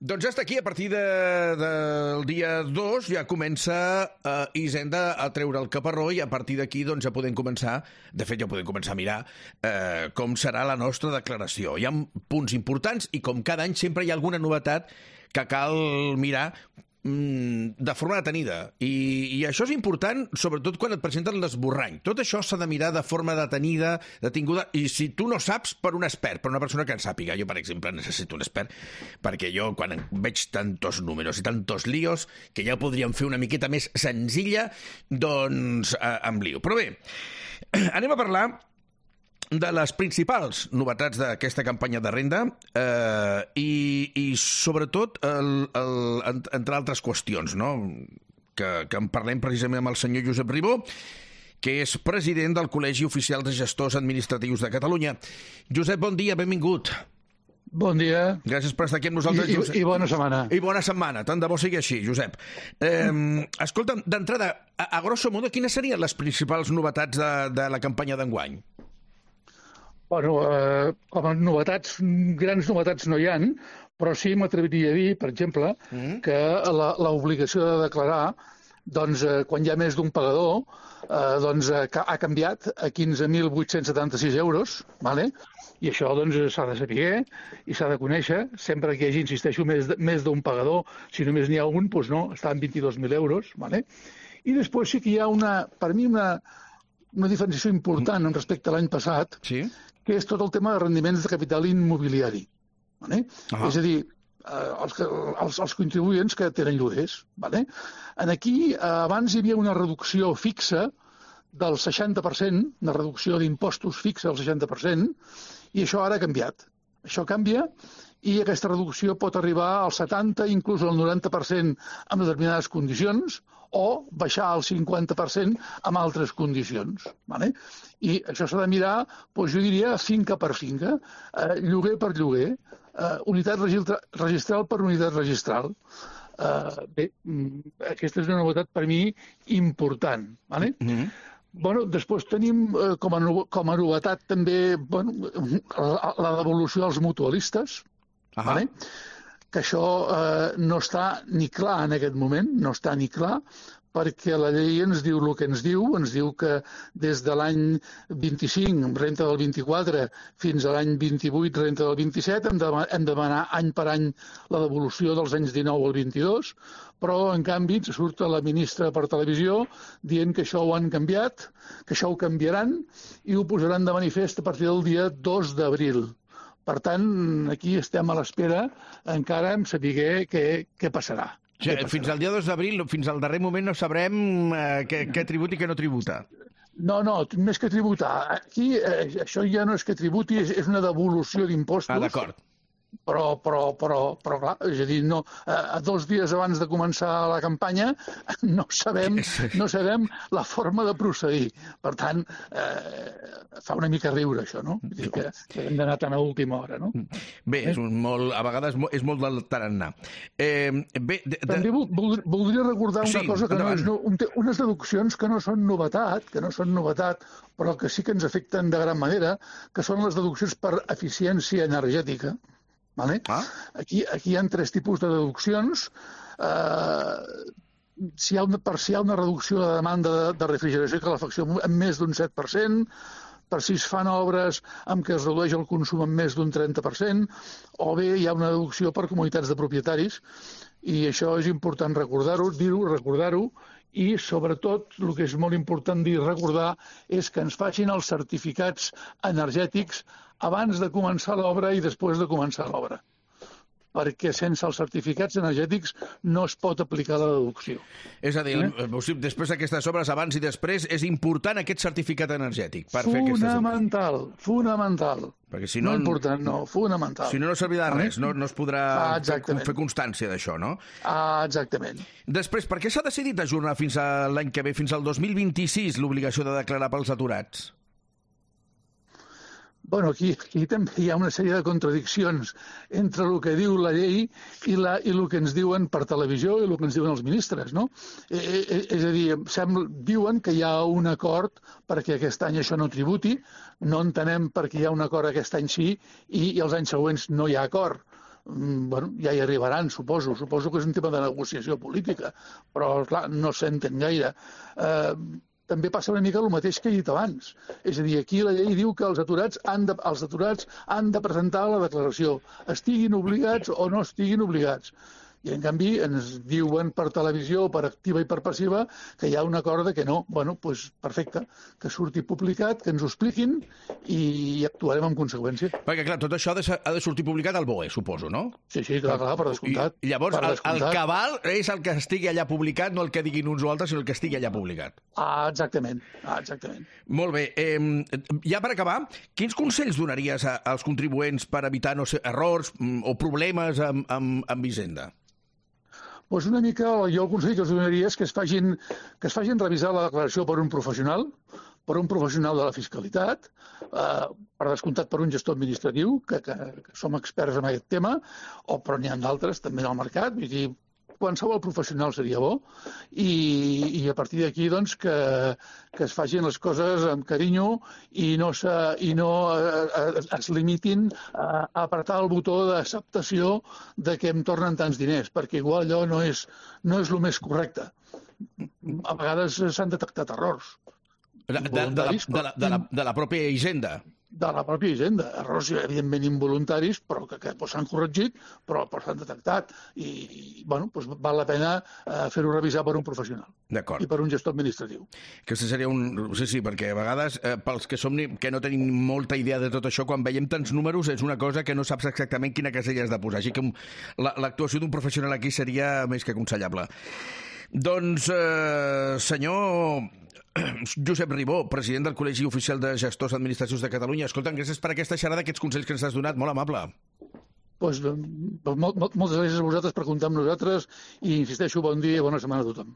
Doncs ja està aquí, a partir del dia 2 ja comença Hisenda a treure el caparró i a partir d'aquí doncs, ja podem començar, de fet ja podem començar a mirar com serà la nostra declaració. Hi ha punts importants i com cada any sempre hi ha alguna novetat que cal mirar de forma detenida. I això és important, sobretot quan et presenten l'esborrany. Tot això s'ha de mirar de forma detenida, detinguda, i si tu no saps, per un expert, per una persona que en sàpiga. Jo, per exemple, necessito un expert, perquè jo, quan veig tantos números i tantos líos, que ja podríem fer una miqueta més senzilla, doncs em lio. Però bé, anem a parlar de les principals novetats d'aquesta campanya de renda i sobretot, entre altres qüestions, no? que en parlem precisament amb el senyor Josep Ribó, que és president del Col·legi Oficial de Gestors Administratius de Catalunya. Josep, bon dia, benvingut. Bon dia. Gràcies per estar aquí amb nosaltres, Josep. I bona setmana. I bona setmana, tant de bo sigui així, Josep. Escolta'm, d'entrada, a grosso modo, quines serien les principals novetats de la campanya d'enguany? Bueno, com a novetats, grans novetats no hi ha, però sí m'atreviria a dir, per exemple, que l'obligació de declarar, doncs, quan hi ha més d'un pagador, doncs, ha canviat a 15.876 euros, ¿vale? I això doncs, s'ha de saber i s'ha de conèixer. Sempre que hi hagi, insisteixo, més d'un pagador, si només n'hi ha un, doncs no, està en 22.000 euros. ¿Vale? I després sí que hi ha, per mi, una diferenciació important respecte a l'any passat, sí? Que és tot el tema de rendiments de capital immobiliari. ¿Vale? És a dir, els contribuents que tenen lloguers. ¿Vale? Aquí, abans hi havia una reducció fixa del 60%, una reducció d'impostos fixa del 60%, i això ara ha canviat. Això canvia i aquesta reducció pot arribar al 70%, inclús al 90% amb determinades condicions, o baixar al 50% amb altres condicions. ¿Vale? I això s'ha de mirar, doncs jo diria, finca per finca, lloguer per lloguer, unitat registral per unitat registral. Bé, aquesta és una novetat per mi important. ¿Vale? Bueno, després tenim com a novetat també la devolució als mutualistes, ¿vale? Que això no està ni clar en aquest moment, no està ni clar, perquè la llei ens diu el que ens diu que des de l'any 25, renta del 24, fins a l'any 28, renta del 27, hem de demanar any per any la devolució dels anys 19 al 22, però en canvi ens surt la ministra per televisió dient que això ho han canviat, que això ho canviaran i ho posaran de manifest a partir del dia 2 d'abril. Per tant, aquí estem a l'espera encara en saber què passarà. Fins al dia 2 d'abril, fins al darrer moment, no sabrem què tributa i què no tributa. No, més que tributar. Aquí això ja no és que tributi, és una devolució d'impostos. D'acord. Però clar, és a dir, no, a 2 dies abans de començar la campanya no sabem la forma de procedir. Per tant, fa una mica riure això, no? Vull dir que hem d'anar tan a última hora, no? Bé, a vegades és molt del tarannà. També voldria recordar una cosa, que unes deduccions que no són novetat, però que sí que ens afecten de gran manera, que són les deduccions per eficiència energètica. ¿Vale? Aquí hi ha 3 tipus de deduccions. Si hi ha una reducció de demanda de refrigeració i calefacció en més d'un 7%, per si es fan obres amb què es redueix el consum en més d'un 30%, o bé hi ha una deducció per comunitats de propietaris, i això és important recordar-ho, i sobretot el que és molt important dir i recordar és que ens facin els certificats energètics abans de començar l'obra i després de començar l'obra, perquè sense els certificats energètics no es pot aplicar la deducció. És a dir, després d'aquestes obres, abans i després, és important aquest certificat energètic per fer aquestes obres. Fonamental. Perquè si no, fonamental. Si no servirà de res, no es podrà fer constància d'això, no? Exactament. Després, per què s'ha decidit ajornar fins a l'any que ve, fins al 2026, l'obligació de declarar pels aturats? Bueno, aquí també hi ha una sèrie de contradiccions entre el que diu la llei i el que ens diuen per televisió i el que ens diuen els ministres, no? És a dir, diuen que hi ha un acord perquè aquest any això no tributi, no entenem per què hi ha un acord aquest any sí i els anys següents no hi ha acord. bueno, ja hi arribaran, suposo. Suposo que és un tema de negociació política, però, clar, no s'entén gaire. També passa una mica el mateix que he dit abans. És a dir, aquí la llei diu que els aturats han de presentar la declaració, estiguin obligats o no estiguin obligats. I, en canvi, ens diuen per televisió, per activa i per passiva, que hi ha un acord de que no. Bueno, doncs perfecte, que surti publicat, que ens ho expliquin i actuarem en conseqüència. Perquè, clar, tot això ha de sortir publicat al BOE, suposo, no? Sí, clar, per descomptat. I llavors, el cabal és el que estigui allà publicat, no el que diguin uns o altres, sinó el que estigui allà publicat. Exactament. Molt bé. Ja per acabar, quins consells donaries als contribuents per evitar, no sé, errors o problemes amb Hisenda? Doncs una mica, jo el consell que els donaria és que es facin revisar la declaració per un professional de la fiscalitat, per descomptat per un gestor administratiu, que som experts en aquest tema, però n'hi ha d'altres també en el mercat, vull dir, qualsevol professional seria bo, i a partir d'aquí doncs, que es facin les coses amb carinyo i no es limitin a apretar el botó d'acceptació de que em tornen tants diners, perquè igual allò no és el més correcte. A vegades s'han detectat errors. De la pròpia Hisenda. De la pròpia Hisenda. Errors, evidentment, involuntaris, però que s'han corregit, però s'han detectat. I, bueno, doncs val la pena fer-ho revisar per un professional. D'acord. I per un gestor administratiu. Aquesta seria Sí, perquè a vegades, pels que no tenim molta idea de tot això, quan veiem tants números és una cosa que no saps exactament quina casella has de posar. Així que l'actuació d'un professional aquí seria més que aconsellable. Doncs, senyor Josep Ribó, president del Col·legi Oficial de Gestors d'Administracions de Catalunya. Escolta'm, gràcies per aquesta xerrada, aquests consells que ens has donat, molt amable. Doncs moltes gràcies a vosaltres per comptar amb nosaltres i, insisteixo, bon dia i bona setmana a tothom.